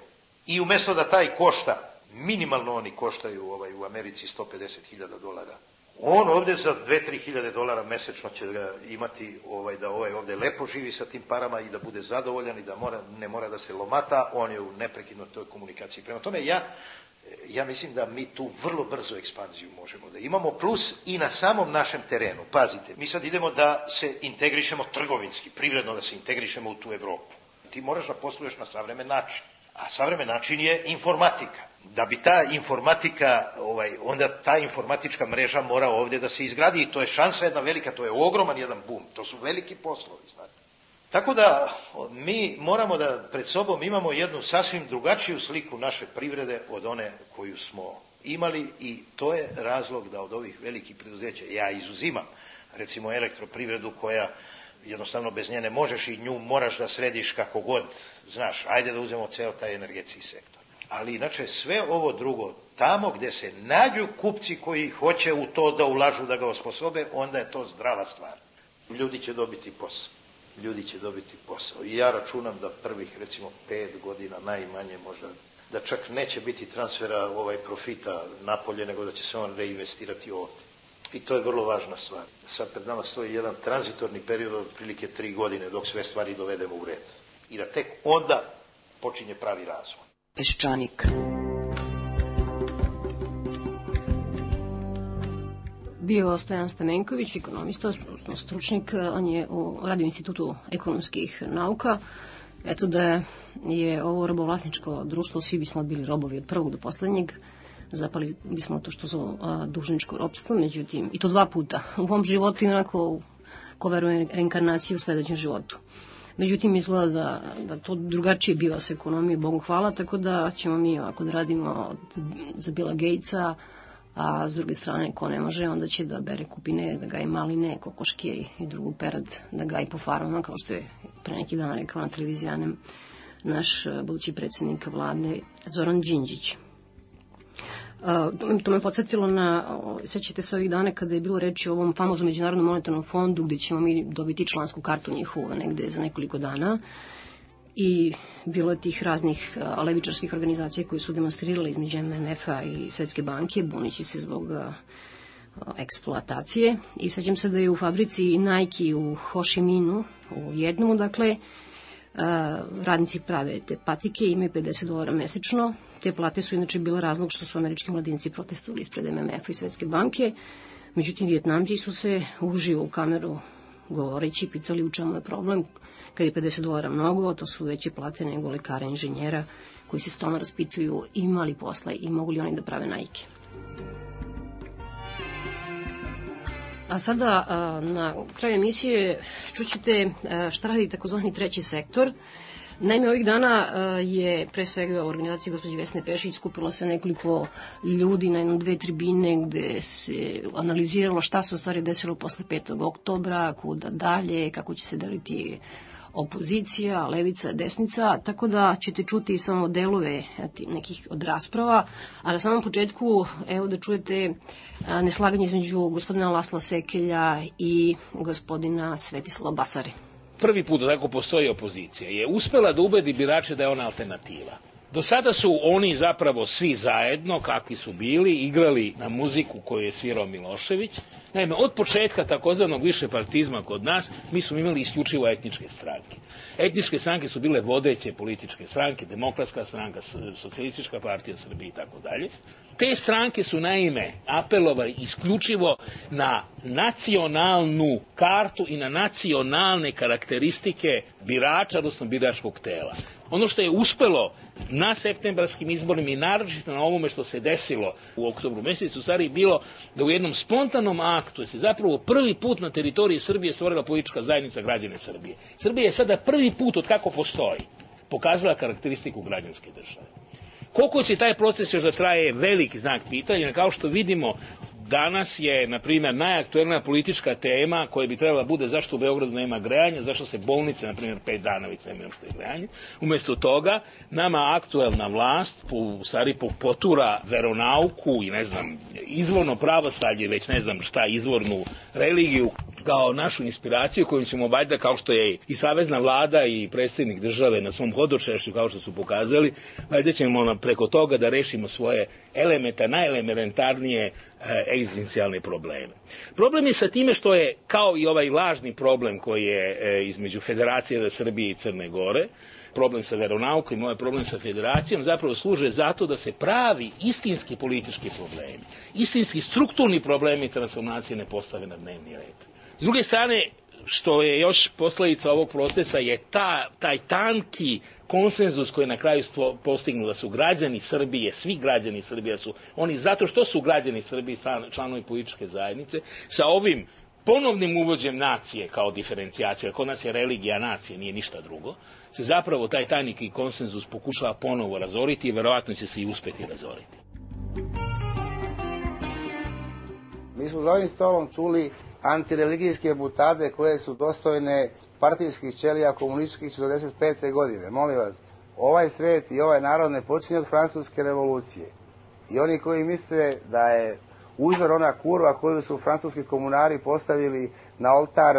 I umjesto da taj košta, minimalno oni koštaju ovaj, u Americi sto pedeset hiljada dolara, on ovdje za dve do tri hiljade dolara mesečno će ga imati ovaj, da ovaj ovdje lepo živi sa tim parama i da bude zadovoljan i da mora, ne mora da se lomata, on je u neprekidnoj toj komunikaciji. Prema tome ja Ja mislim da mi tu vrlo brzo ekspanziju možemo da imamo, plus i na samom našem terenu. Pazite, mi sad idemo da se integrišemo trgovinski, privredno da se integrišemo u tu Evropu. Ti moraš da posluješ na savremen način, a savremen način je informatika. Da bi ta informatika, ovaj, onda ta informatička mreža mora ovdje da se izgradi i to je šansa jedna velika, to je ogroman jedan bum, to su veliki poslovi, znate. Tako da mi moramo da pred sobom imamo jednu sasvim drugačiju sliku naše privrede od one koju smo imali i to je razlog da od ovih velikih preduzeća, ja izuzimam recimo elektroprivredu koja jednostavno bez nje ne možeš i nju moraš da središ kako god, znaš, ajde da uzmemo ceo taj energetski sektor. Ali inače sve ovo drugo, tamo gdje se nađu kupci koji hoće u to da ulažu, da ga osposobe, onda je to zdrava stvar. Ljudi će dobiti posao. Ljudi će dobiti posao. I ja računam da prvih, recimo, pet godina najmanje možda, da čak neće biti transfera ovaj profita napolje, nego da će se on reinvestirati ovdje. I to je vrlo važna stvar. Sad pred nama stoji jedan tranzitorni period od prilike tri godine dok sve stvari dovedemo u red. I da tek onda počinje pravi razvoj. Peščanik. Bio je Stojan Stamenković, ekonomista, stručnjak, on je u Radio institutu ekonomskih nauka. Eto da je ovo robovlasničko društvo, svi bismo bili robovi od prvog do poslednjeg, zapali bismo to što zove dužničko ropstvo, međutim, i to dva puta, u ovom životu i onako ko veruje reinkarnaciju u sledećem životu. Međutim, izgleda da, da to drugačije biva sa ekonomije, Bogu hvala, tako da ćemo mi ovako da radimo za Billa Gatesa, a s druge strane, ko ne može, onda će da bere kupine, da gaji maline, kokoške i drugu perad, da gaji po farmama, kao što je pre neki dan rekao na televizijanem naš budući predsjednik vlade Zoran Đinđić. To me podsjetilo na, sećate se ovih dana kada je bilo reći o ovom famoznom Međunarodnom monetarnom fondu gde ćemo mi dobiti člansku kartu njihovu negde za nekoliko dana i bilo je tih raznih levičarskih organizacija koji su demonstrirali između M M F-a i Svetske banke, bunići se zbog eksploatacije. I sećam se da je u fabrici Nike u Ho Chi Minhu, u jednom, dakle, radnici prave te patike, imaju pedeset dolara mesečno. Te plate su inače bile razlog što su američki mladinci protestovali ispred M M F-a i Svetske banke. Međutim, Vijetnamci su se uživo u kameru govoreći pitali u čemu je problem. Kad je pedeset dolara mnogo, to su veće plate nego lekara, inženjera koji se stalno raspituju imali posla i mogu li oni da prave Nike. A sada na kraju emisije čućete šta radi takozvani treći sektor. Naime, ovih dana je pre svega u organizaciji gospođe Vesne Pešić skupilo se nekoliko ljudi na jednom dve tribine gde se analiziralo šta se u stvari desilo posle petog oktobra, kuda dalje, kako će se deliti opozicija, levica, desnica, tako da ćete čuti samo delove nekih od rasprava, a na samom početku evo da čujete neslaganje između gospodina Lasla Sekelja i gospodina Svetislava Basare. Prvi put da tako postoji opozicija je uspela da ubedi birače da je ona alternativa. Do sada su oni zapravo svi zajedno, kakvi su bili, igrali na muziku koju je svirao Milošević. Naime, od početka takozvanog višepartizma kod nas, mi smo imali isključivo etničke stranke. Etničke stranke su bile vodeće političke stranke, Demokratska stranka, Socijalistička partija Srbije i tako dalje. Te stranke su naime apelovali isključivo na nacionalnu kartu i na nacionalne karakteristike birača, odnosno biračkog tela. Ono što je uspelo na septembarskim izborima i naročito na ovome što se desilo u oktobru mesecu, stvari bilo da u jednom spontanom aktu je se zapravo prvi put na teritoriji Srbije stvorila politička zajednica građane Srbije. Srbija je sada prvi put od kako postoji pokazala karakteristiku građanske države. Koliko će taj proces još da traje veliki znak pitanja, kao što vidimo danas je, na primjer, najaktuelnija politička tema koja bi trebala bude zašto u Beogradu nema grejanja, zašto se bolnice, na primjer, pet dana već nemaju što je grejanje. Umjesto toga, nama aktuelna vlast, u stvari, potura veronauku i, ne znam, izvorno pravoslavlje, već ne znam šta, izvornu religiju, kao našu inspiraciju koju ćemo valjda, kao što je i savezna vlada i predsjednik države na svom hodočešću, kao što su pokazali, valjda ćemo preko toga da rešimo svoje elementa, najelementarnije egzistencijalne probleme. Problem je sa time što je, kao i ovaj lažni problem koji je između Federacije Srbije i Crne Gore, problem sa veronaukom i ovaj problem sa federacijom, zapravo služe zato da se pravi istinski politički problemi, istinski strukturni problemi transformacije ne postave na dnevni red. S druge strane, što je još posledica ovog procesa je ta, taj tanki konsenzus koji je na kraju postignu da su građani Srbije, svi građani Srbije su oni zato što su građani Srbije članovi političke zajednice, sa ovim ponovnim uvođenjem nacije kao diferencijacija, kod nas je religija nacije, nije ništa drugo, se zapravo taj tajnik i konsenzus pokušava ponovo razoriti i verovatno će se i uspeti razoriti. Mi smo za ovim stolom čuli antireligijske butade koje su dostojne partijskih ćelija komunističkih četrdeset pete godine. Molim vas, ovaj svet i ovaj narod ne počinje od francuske revolucije. I oni koji misle da je uzor ona kurva koju su francuski komunari postavili na oltar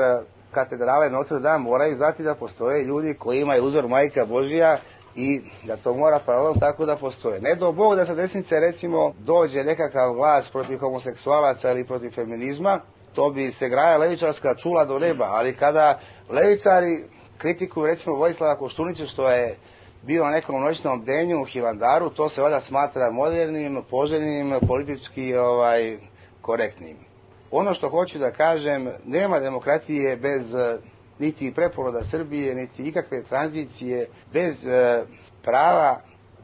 katedrale Notre Dame, moraju znati da postoje ljudi koji imaju uzor Majka Božija i da to mora paralelno tako da postoje. Ne do Bog da sa desnice recimo dođe nekakav glas protiv homoseksualaca ili protiv feminizma, to bi se graja levičarska čula do neba, ali kada levičari kritikuju recimo Vojislava Koštunića što je bio na nekom noćnom bdenju u Hilandaru, to se valjda smatra modernim, poželjnim, politički ovaj, korektnim. Ono što hoću da kažem, nema demokratije bez niti preporoda Srbije, niti ikakve tranzicije, bez e, prava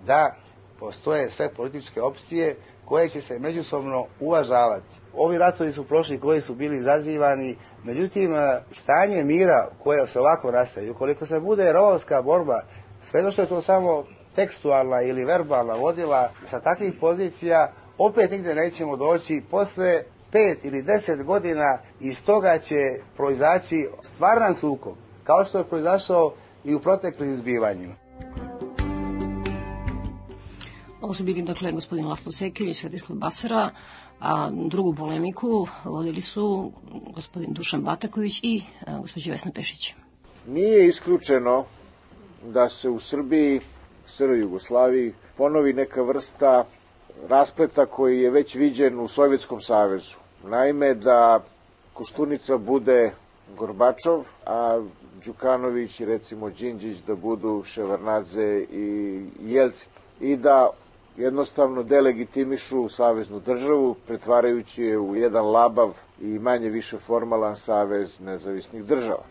da postoje sve političke opcije koje će se međusobno uvažavati. Ovi ratovi su prošli koji su bili zazivani, međutim stanje mira koje se ovako nastaje, ukoliko se bude rovovska borba, sve što je to samo tekstualna ili verbalna vodila sa takvih pozicija, opet nigde nećemo doći. Posle pet ili deset godina iz toga će proizaći stvaran sukob, kao što je proizašao i u proteklim zbivanjima. Ovo su bili, dakle, gospodin Laslo Sekelj i Svetislav Basara, a drugu polemiku vodili su gospodin Dušan Bataković i gospođa Vesna Pešić. Nije isključeno da se u Srbiji, SR Jugoslaviji, ponovi neka vrsta raspleta koji je već viđen u Sovjetskom savezu. Naime, da Koštunica bude Gorbačov, a Đukanović i recimo Đinđić da budu Ševarnadze i Jelcin. I da jednostavno delegitimišu saveznu državu, pretvarajući je u jedan labav i manje više formalan savez nezavisnih država.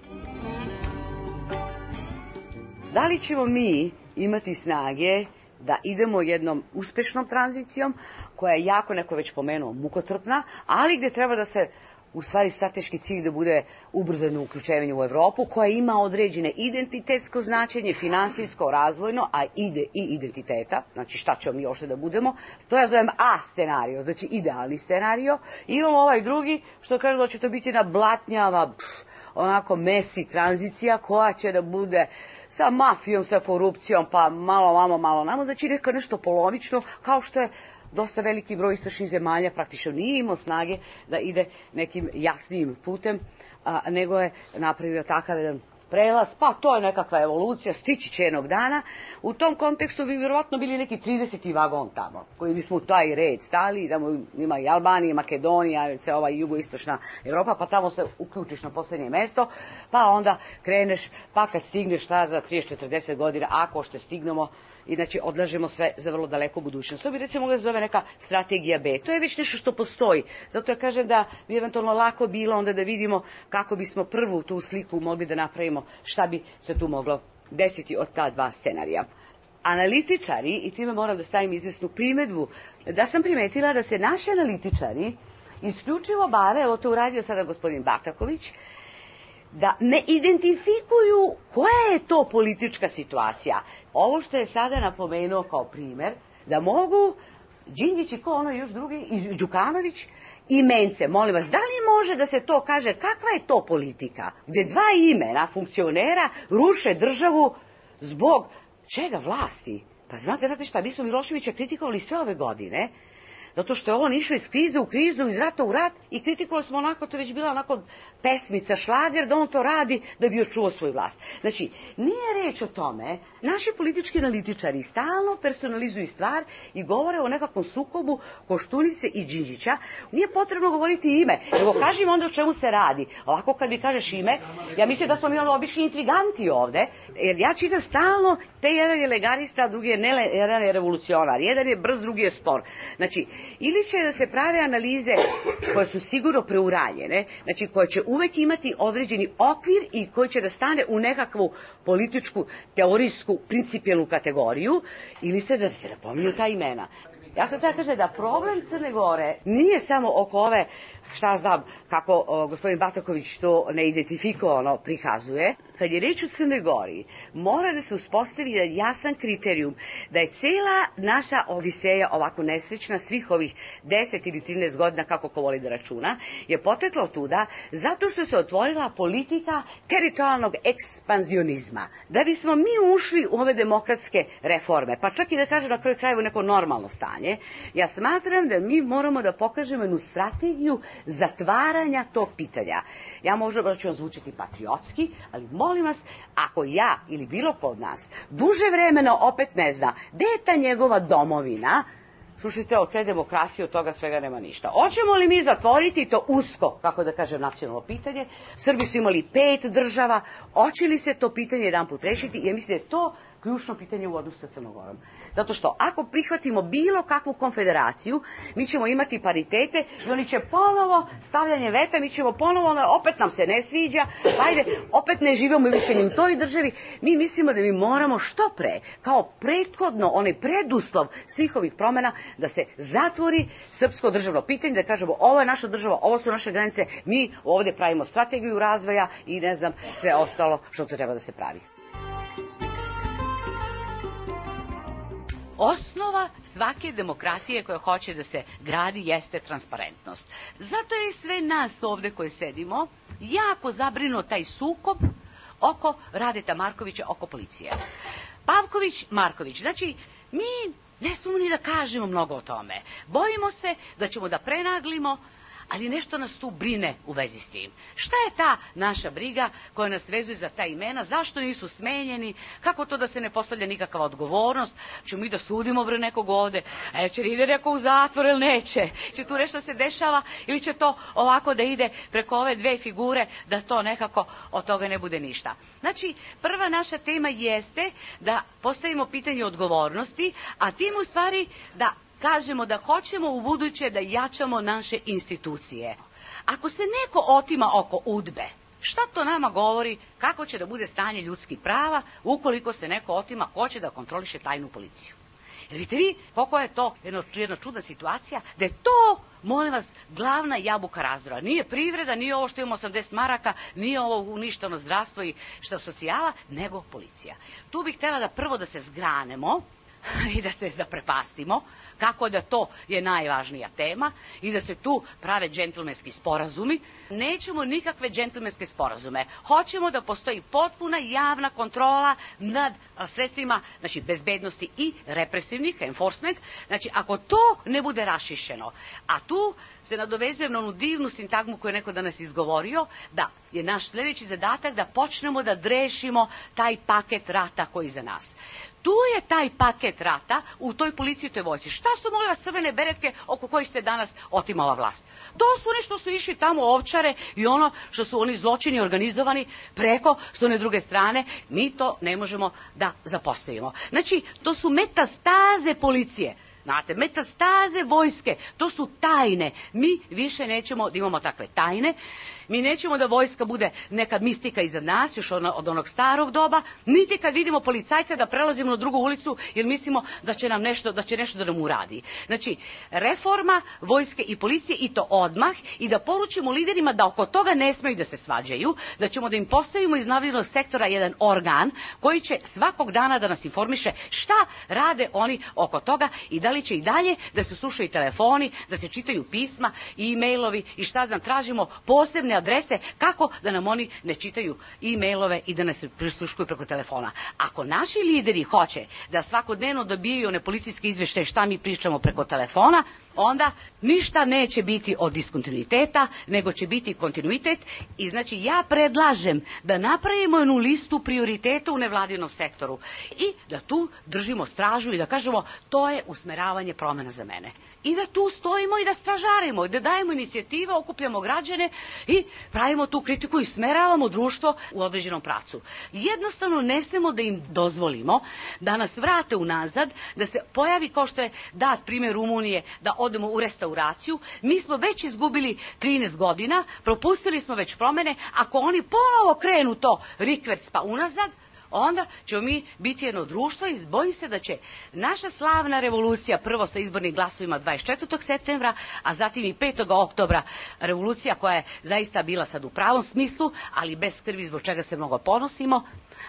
Da li ćemo mi imati snage da idemo jednom uspešnom tranzicijom, koja je jako, neko već pomenuo, mukotrpna, ali gde treba da se u stvari strateški cilj da bude ubrzano uključivanje u Evropu, koja ima određene identitetsko značenje, finansijsko, razvojno, a ide i identiteta, znači šta ćemo mi još da budemo, to ja zovem A scenario, znači idealni scenario. I imamo ovaj drugi, što kaže da će to biti na blatnjava, pff, onako mesi tranzicija, koja će da bude sa mafijom, sa korupcijom, pa malo vamo, malo namo, znači neka nešto polovično, kao što je dosta veliki broj istočnih zemalja praktično nije imao snage da ide nekim jasnijim putem, a, nego je napravio takav jedan prelaz, pa to je nekakva evolucija, stići će jednog dana. U tom kontekstu bi vjerovatno bili neki trideseti vagon tamo, koji bismo u taj red stali, tamo ima i Albanija, Makedonija, ova jugoistočna Evropa, pa tamo se uključiš na posljednje mesto, pa onda kreneš, pa kad stigneš šta za trideset četrdeset godina, ako što stignemo, inače odlažemo sve za vrlo daleku budućnost. To bi recimo mogla zove neka strategija B. To je već nešto što postoji. Zato ja kažem da bi eventualno lako bilo onda da vidimo kako bismo prvu tu sliku mogli da napravimo, šta bi se tu moglo desiti od ta dva scenarija. Analitičari, i time moram da stavim izvesnu primedbu, da sam primetila da se naši analitičari isključivo bave, evo to uradio sada gospodin Bataković, da ne identifikuju koja je to politička situacija. Ovo što je sada napomenuo kao primer, da mogu Đinđić i ko ono još drugi, i Đukanović, i Mence, molim vas, da li može da se to kaže, kakva je to politika, gdje dva imena funkcionera ruše državu zbog čega vlasti? Pa znate, znate šta, mi smo Miloševića kritikovali sve ove godine, zato što je on išao iz krize u krizu, iz rata u rat, i kritikovali smo onako, to je već bila onako pesmica, šlager, da on to radi da bi očuvao svoju vlast. Znači, nije reč o tome, naši politički analitičari stalno personalizuju stvar i govore o nekakvom sukobu Koštunice i Đinđića. Nije potrebno govoriti ime, nego kaži im onda o čemu se radi. Ovako kad mi kažeš ime, ja mislim da smo mi onda obični intriganti ovde, jer ja čitam stalno, te jedan je legalista, drugi je, ne, jedan je revolucionar, jedan je brz, drugi je spor. Znači, ili će da se prave analize koje su sigurno preuranjene, znači koje će uvek imati određeni okvir i koji će da stane u nekakvu političku, teorijsku, principijelnu kategoriju, ili se da se napominju ta imena. Ja sam tada kaže da problem Crne Gore nije samo oko ove, šta znam, kako o, gospodin Bataković to neidentifikovano prikazuje. Kad je reč o Crnoj Gori, mora da se uspostavi jedan jasan kriterijum da je cela naša odiseja ovako nesrećna svih ovih deset ili trinaest godina, kako ko voli da računa, je potekla od tuda zato što se otvorila politika teritorijalnog ekspanzionizma. Da bismo mi ušli u ove demokratske reforme, pa čak i da kažem na kraju krajeva neko normalno stanje, ja smatram da mi moramo da pokažemo jednu strategiju zatvaranja tog pitanja. Ja možda ću vam zvučiti patriotski, ali molim vas, ako ja ili bilo ko od nas duže vremena opet ne zna gde je ta njegova domovina, slušajte, od te demokracije, od toga svega nema ništa. Hoćemo li mi zatvoriti to usko, kako da kažem, nacionalno pitanje? Srbi su imali pet država, hoće li se to pitanje jedan put rešiti? Ja mislim da je to ključno pitanje u odnosu sa Crnogorom. Zato što ako prihvatimo bilo kakvu konfederaciju, mi ćemo imati paritete i oni će ponovo stavljanje veta, mi ćemo ponovo, opet nam se ne sviđa, ajde, opet ne živimo više ni u toj državi. Mi mislimo da mi moramo što pre, kao prethodno, onaj preduslov svih ovih promjena, da se zatvori srpsko državno pitanje, da kažemo ovo je naša država, ovo su naše granice, mi ovdje pravimo strategiju razvoja i ne znam sve ostalo što treba da se pravi. Osnova svake demokratije koja hoće da se gradi jeste transparentnost. Zato je sve nas ovdje koji sedimo jako zabrinuo taj sukob oko Radeta Markovića, oko policije. Pavković, Marković, znači mi ne smemo ni da kažemo mnogo o tome. Bojimo se da ćemo da prenaglimo, ali nešto nas tu brine u vezi s tim. Šta je ta naša briga koja nas vezuje za ta imena? Zašto nisu smenjeni? Kako to da se ne postavlja nikakva odgovornost? Čemo mi da sudimo bre nekog ovde? E, će li ide neko u zatvor ili neće? Će tu nešto se dešava ili će to ovako da ide preko ove dve figure da to nekako od toga ne bude ništa? Znači, prva naša tema jeste da postavimo pitanje odgovornosti, a tim u stvari da kažemo da hoćemo u buduće da jačamo naše institucije. Ako se neko otima oko udbe, šta to nama govori kako će da bude stanje ljudskih prava ukoliko se neko otima ko će da kontroliše tajnu policiju? Jer vidite vi koliko je to jedna, jedna čudna situacija, da je to, molim vas, glavna jabuka razdora. Nije privreda, nije ovo što imamo osamdeset maraka, nije ovo uništeno zdravstvo i što socijala, nego policija. Tu bih htjela da prvo da se zgranemo i da se zaprepastimo, kako da to je najvažnija tema i da se tu prave džentlmenski sporazumi. Nećemo nikakve džentlmenske sporazume. Hoćemo da postoji potpuna javna kontrola nad sredstvima, znači bezbednosti i represivnih, enforcement. Znači, ako to ne bude rašišeno, a tu se nadovezujem na onu divnu sintagmu koju je neko danas izgovorio, da je naš sljedeći zadatak da počnemo da drešimo taj paket rata koji je za nas. Tu je taj paket rata u toj policiji, u toj vojsci. Šta su, molim vas, crvene beretke oko kojih se danas otimala vlast? To su oni što su išli tamo ovčare i ono što su oni zločini organizovani preko s one druge strane. Mi to ne možemo da zapostavimo. Znači, to su metastaze policije. Znate, metastaze vojske, to su tajne. Mi više nećemo da imamo takve tajne. Mi nećemo da vojska bude neka mistika iza nas, još od onog starog doba, niti kad vidimo policajca da prelazimo na drugu ulicu jer mislimo da će nam nešto, da će nešto da nam uradi. Znači, reforma vojske i policije i to odmah i da poručimo liderima da oko toga ne smeju da se svađaju, da ćemo da im postavimo iz nevladinog sektora jedan organ koji će svakog dana da nas informiše šta rade oni oko toga i da li će i dalje da se slušaju telefoni, da se čitaju pisma i e-mailovi i šta znam, tražimo posebne adrese kako da nam oni ne čitaju e-mailove i da nas prisluškuju preko telefona. Ako naši lideri hoće da svakodnevno dobijaju one policijske izveštaje šta mi pričamo preko telefona, onda ništa neće biti od diskontinuiteta, nego će biti kontinuitet i znači ja predlažem da napravimo jednu listu prioriteta u nevladinom sektoru i da tu držimo stražu i da kažemo to je usmeravanje promjena za mene. I da tu stojimo i da stražarimo i da dajemo inicijative, okupljamo građane i pravimo tu kritiku i smeravamo društvo u određenom pravcu. Jednostavno ne smemo da im dozvolimo da nas vrate unazad, da se pojavi kao što je dat primjer Rumunije, da odemo u restauraciju. Mi smo već izgubili trinaest godina, propustili smo već promjene, ako oni ponovo krenu to rikverc pa unazad, onda ćemo mi biti jedno društvo i bojim se da će naša slavna revolucija, prvo sa izbornim glasovima dvadeset četvrtog septembra, a zatim i petog oktobra, revolucija koja je zaista bila sad u pravom smislu, ali bez krvi zbog čega se mnogo ponosimo,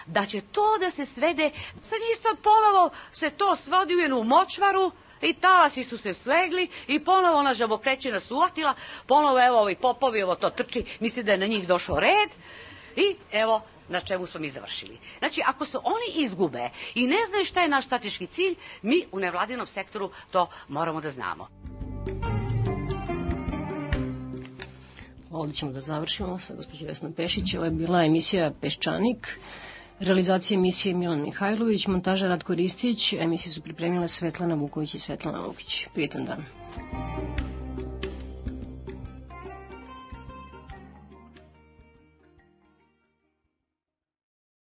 da će to da se svede, sa njih sad ponovo se to svodi u jednu močvaru, i talasi su se slegli i ponovo ona žabokrećina su uvatila, ponovo evo ovi popovi, ovo to trči, misli da je na njih došao red i evo na čemu smo mi završili. Znači, ako se oni izgube i ne znaju šta je naš strateški cilj, mi u nevladinom sektoru to moramo da znamo. Ovdje ćemo da završimo sa gospođom Vesnom Pešić. Ovo je bila emisija Peščanik. Realizacija emisije Milan Mihajlović, montaža Ratko Ristić, emisiju su pripremile Svetlana Vuković i Svetlana Lukić. Prijetan dan.